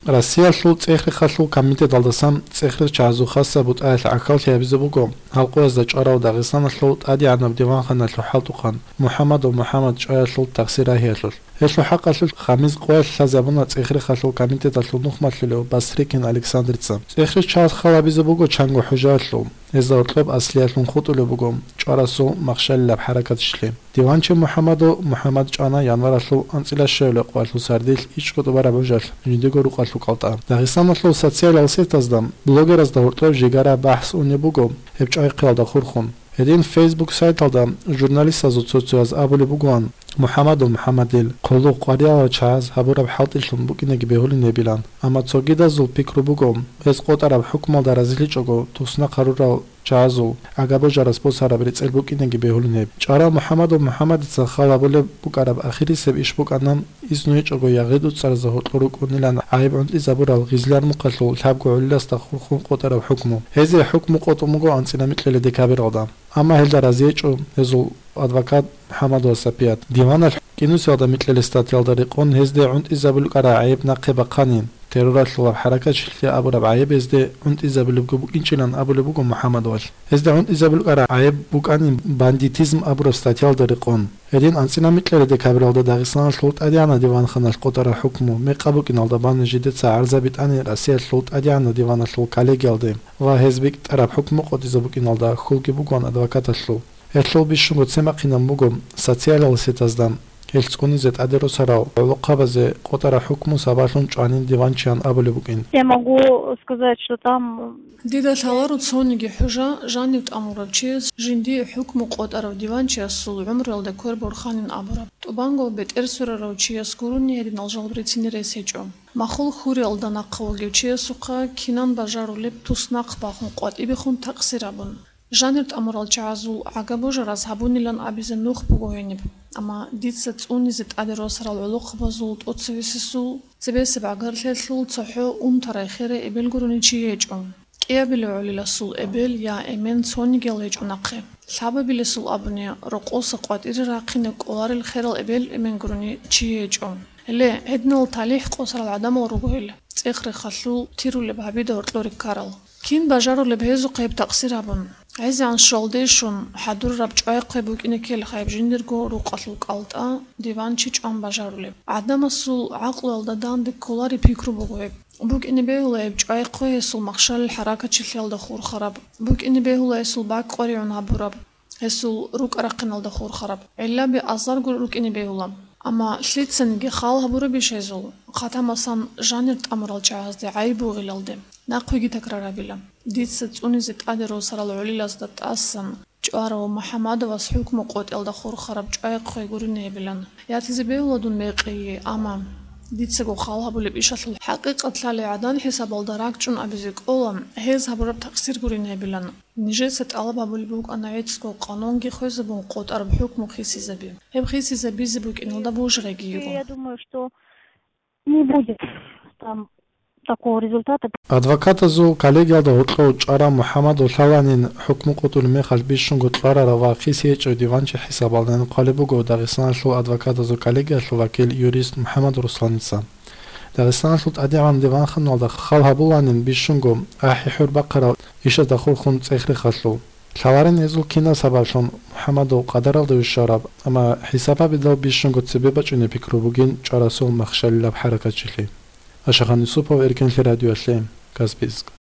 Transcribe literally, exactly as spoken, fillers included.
Россиялъул цӀех-рехалъул комитеталдасан цӀех-рехчагӀазул хасаб бутӀаялъ гӀахьаллъи гьабизе буго гьал къоязда чӀварав Дагъистаналъул тӀадегӀанаб диванханалъул хӀалтӀухъан МухӀамадов МухӀамад чӀваялъул тахсир рагьиялъулъ. Гьелъул хӀакъалъулъ гьабизе къоялъ лъазабуна цӀех-рехалъул комитеталъул нухмалъулев Бастрыкин Александрца. ЦӀех-рехчагӀаз хал гьабизе буго чанго хӀужаялъул, гьезда гьоркьоб аслиялъун хутӀулеб буго чӀварасул махщалилаб хӀаракатчилъи. Диванчи МухӀамадов МухӀамад чӀвана январалъул анцӀила щуабилеб къоялъул сардилъ ичӀго тӀубараб гӀужалъ жиндиего рукъалъул кӀалтӀа. Дагъистаналъул социалал сетазда блогеразда гьоркьоб жигара бахӀс унеб буго гьеб чӀвайхъиялда хурхун. Гьедин Facebook сайталда журналистазул цо-цояз абулеб бугоан, МухӀамадов МухӀамадил хъулухъ къваригӀарал чагӀаз гьабураб хӀалтӀилъун букӀинеги бегьулин гьебилан. Амма цогидазул пикру буго, гьез къотӀараб хӀукмуялда разилъичӀого туснахъ гьарурал чагӀазул гӀага-божарас босараб рецӀел букӀинеги бегьулин гьеб. ЧӀварав МухӀамадов МухӀамадица хал гьабулеб букӀараб ахирисеб иш букӀана, изну гьечӀого ягъи-дуцӀаразда гьоркьор рукӀунилан гӀайиб гӀунтӀизабурал Гъизлярмухъалъул лъабго гӀолиласда хурхун къотӀараб хӀукму. Гьезие хӀукму къотӀун буго анцӀила микьилеб декабралда. Амма гьелда разиечӀо гьезул адвокат МухӀамадов Сапият. Диваналъ кӀинусиялда микьилеб статьялда рекъон гьезде гӀунтӀизабулеб букӀараб гӀайиб нахъе бахъанин, терроралъулаб хӀаракатчилъи абураб гӀайиб гьезде гӀунтӀизабулебги букӀинчилан абулеб буго МухӀамадовалъ. Гьезде гӀунтӀизабулеб букӀараб гӀайиб букӀанин бандитизм абураб статьялда рекъон. Гьедин анцӀила микьилеб декабралда Дагъистаналъул тӀадегӀанаб диванханалъ къотӀараб хӀукму мекъаб букӀиналда бани жидеца гӀарзаби тӀани Россиялъул тӀадегӀанаб диваналъул коллегиялде ва гьез битӀараб хӀукму къотӀизе букӀиналда хьулги бугоан адвокаталъул. Гьелъул бищунго цемахъинаб буго социалал сетазда, гьелъ цӀунизе тӀаде росарал гӀолохъабазе къотӀараб хӀукму сабаблъун чӀванин диванчиян абулеб букӀин. Я могу сказать, что там Дида лъаларо цониги хӀужа, жанив тӀамурав чияс жиндие хӀукму къотӀарав диванчиясул гӀумруялда квер борханин абураб. ТӀубанго бетӀер сверарав чияс гурони гьединал жал бицине рес гьечӀо. Махул хьуриялда нахъа вугев чиясухъа кинан бажарулеб туснахъ бахун къватӀибехун такъсир абун. Жанир тӀамурал чагӀазул гӀага-божарас гьабунилан абизе нух буго гьениб, амма дица цӀунизе тӀаде росарал гӀолохъабазул тӀоцевесесул, цебесеб гӀагарлъиялъул цохӀо унтарай херай эбел гурони чи гьечӀо. КӀиабилев гӀолиласул эбел я эмен цонигиял гьечӀо нахъе. Лъабабилесул абуни, рокъоса къватӀире рахъине кӀоларел херал эбел-эмен гурони чи гьечӀо. Гьеле, гьединал талихӀ къосарал гӀадамал руго гьел, цӀех-рехалъул тирулеб гьабида гьоркьоре ккарал. Кин бажарулеб гьезухъе гьеб такъсир абун? ГӀезегӀан щвалде щун, хӀадурараб чӀвай-хъвай букӀине ккелха гьеб жиндирго рукъалъул кӀалтӀа, диванчи чӀван бажарулеб. ГӀадамасул гӀакълуялда данде кколареб пикру буго гьеб. БукӀине бегьула гьеб чӀвай-хъвай гьесул махщалил хӀаракатчилъиялда хурхараб. БукӀине бегьула гьесул бакӀ къваригӀун гьабураб. Гьесул рукӀа-рахъиналда хурхараб гӀиллаби азарго рукӀине бегьула. Амма лъицаниги хал гьабурабищ гьезул? Хъатамасан, жанир тӀамурал чагӀазде гӀайиб бугилалде, нахъеги такрар гьабила. Дица цӀунизе тӀаде росарал гӀолилазда тӀасан чӀварав МухӀамадовас хӀукму къотӀиялда хурхараб чӀвай-хъвай гурине гьебилан. Ятизе бегьула дун мекъие, амма дицаго хал гьабулеб ишалъул хӀакъикъат лъалей гӀадан хӀисабалда ракӀчӀун абизе кӀола, гьез гьабураб такъсир гурине гьебилан. Нижеца тӀалаб гьабулеб букӀана гӀицӀго къанунги хвезабун къотӀараб хӀукму хисизаби. Гьеб хисизабизе букӀиналда бужарайги йиго. Я думаю, что не будет там такого результата. Адвокатазул коллегиялда гьоркьов чӀварав МухӀамадов лъаланин хӀукму къотӀулеб мехалъ бищунго кьварарав ва хисиечӀев диванчи хӀисабалдайин хъвалеб буго Дагъистаналъул адвокатазул коллегиялъул вакил юрист МухӀамад Русланица. Дагъистаналъул тӀадегӀан диванханалда хал гьабуланин бищунго ахӀи-хӀур бахъарал ишазда хурхун цӀех-рехалъул. Лъаларин гьезул кинаб сабаблъун МухӀамадов къадаралда вищараб, амма хӀисаб гьабидал бищунго цебе бачӀунеб пикру бугин чӀварасул махщалилаб хӀаракатчилъи. Ашахан Юсупов, Эркенлъи радиоялъе, Каспийск.